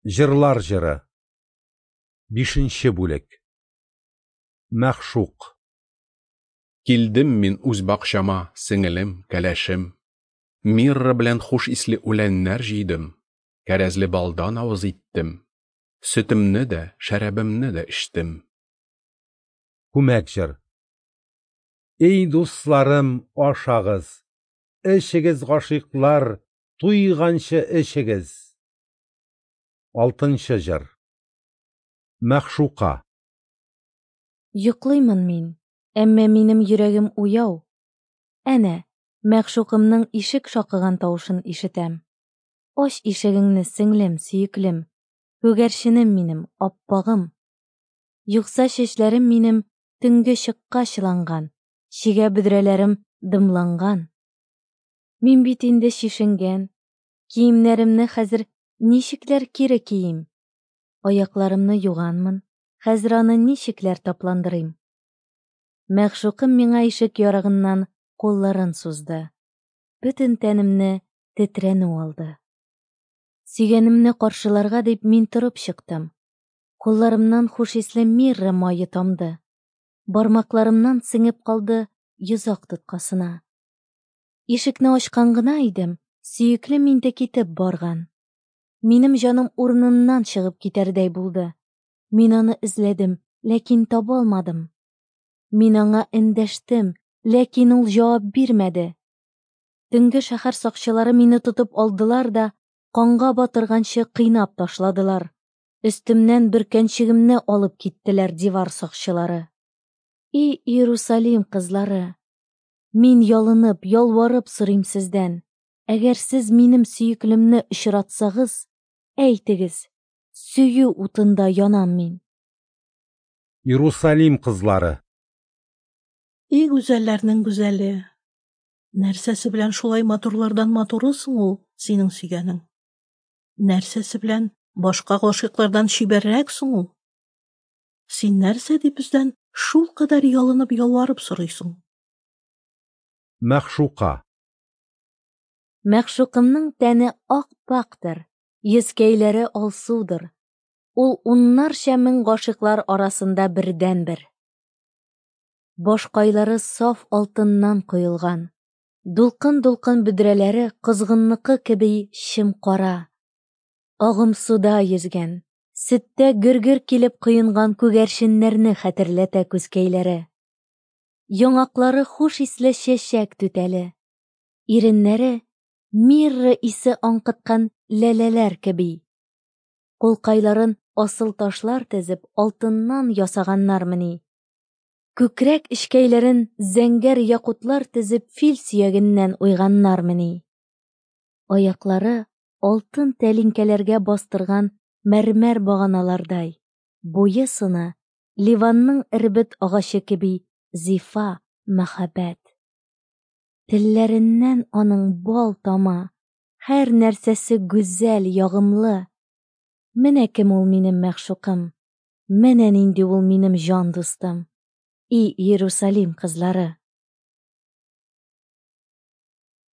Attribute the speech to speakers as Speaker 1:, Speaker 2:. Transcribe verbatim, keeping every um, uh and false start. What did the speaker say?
Speaker 1: Җырлар җыры. Бишенче бүлек. Мәгъшук.
Speaker 2: Килдем мин үз бакчама, сеңелем, кәләшем. Мирра белән хуш исле үләннәр җыйдым, кәрәзле балдан авыз иттем. Сөтемне дә, шәрабымны да эчтем.
Speaker 1: Күмәк җыр. Эй, дусларым, ашагыз, эчегез, гашыйклар, туйганчы эчегез. Алтынчы җыр. Мәгъшука.
Speaker 3: Йоклыймын мин, әмма минем йөрәгем уяу. Әнә, мәгъшукымның ишек шакыган тавышын ишетәм. Ач ишегеңне, сеңлем, сөеклем, күгәрченем минем, аппагым. Юкса чәчләрем минем төнге чыкка чыланган, чигә бөдрәләрем дымланган. Мин бит инде чишенгән, киемнәремне хәзер ничекләр кире киим? Аякларымны юганмын, хәзер аны ничекләр тапландырыйм? Мәгъшукым миңа ишек ярыгыннан кулларын сузды. Бөтен тәнемне тетрәнү алды. Сөйгәнемне каршыларга дип мин торып чыктым. Кулларымнан хуш исле мирра мае тамды. Бармакларымнан сеңеп калды йозак тоткасына. Ишекне ачкан гына идем, сөеклем инде китеп барган. Минем җаным урыныннан чыгып китәрдәй булды. Мин аны эзләдем, ләкин таба алмадым. Мин аңа эндәштем, ләкин ул җавап бирмәде. Төнге шәһәр сакчылары мине тотып алдылар да, канга батырганчы кыйнап ташладылар. Өстемнән бөркәнчегемне алып киттеләр дивар сакчылары. И Иерусалим кызлары! Мин ялынып, ялварып сорыйм сездән. Әгәр сез минем сөеклемне очратсагыз, әйтегез, сөю утында янам мин.
Speaker 1: Иерусалим кызлары.
Speaker 4: И гүзәлләрнең гүзәле! Нәрсәсе белән шулай матурлардан матуры соң ул синең сөйгәнең? Нәрсәсе белән башка гашыйклардан чибәррәк соң ул? Син нәрсә дип бездән шулкадәр ялынып ялварып сорыйсың?
Speaker 1: Мәгъшука.
Speaker 3: Мәгъшукымның тәне ак-пактыр, йөзкәйләре алсудыр. Ул уннарча мең гашыйклар арасында бердәнбер. Башкайлары саф алтыннан коелган. Дулкын-дулкын бөдрәләре козгынныкы кеби чем-кара. Агымсуда йөзгән, сөттә гөр-гөр килеп коенган күгәрченнәрне хәтерләтә күзкәйләре. Яңаклары хуш исле чәчәк түтәле. Иреннәре мирра исе аңкыткан ләләләр кеби. Кулкайларын асыл ташлар тезеп алтыннан ясаганнармыни? Күкрәк эчкәйләрен зәңгәр якутлар тезеп фил сөягеннән уйганнармыни? Аяклары алтын тәлинкәләргә бастырган мәрмәр баганалардай, буе сыны Ливанның эрбет агачы кеби зифа, мәхәббәт. Телләреннән аның бал тама, һәр нәрсәсе гүзәл, ягымлы. Менә кем ул минем мәгъшукым, менә нинди ул минем җан дустым. И Иерусалим кызлары!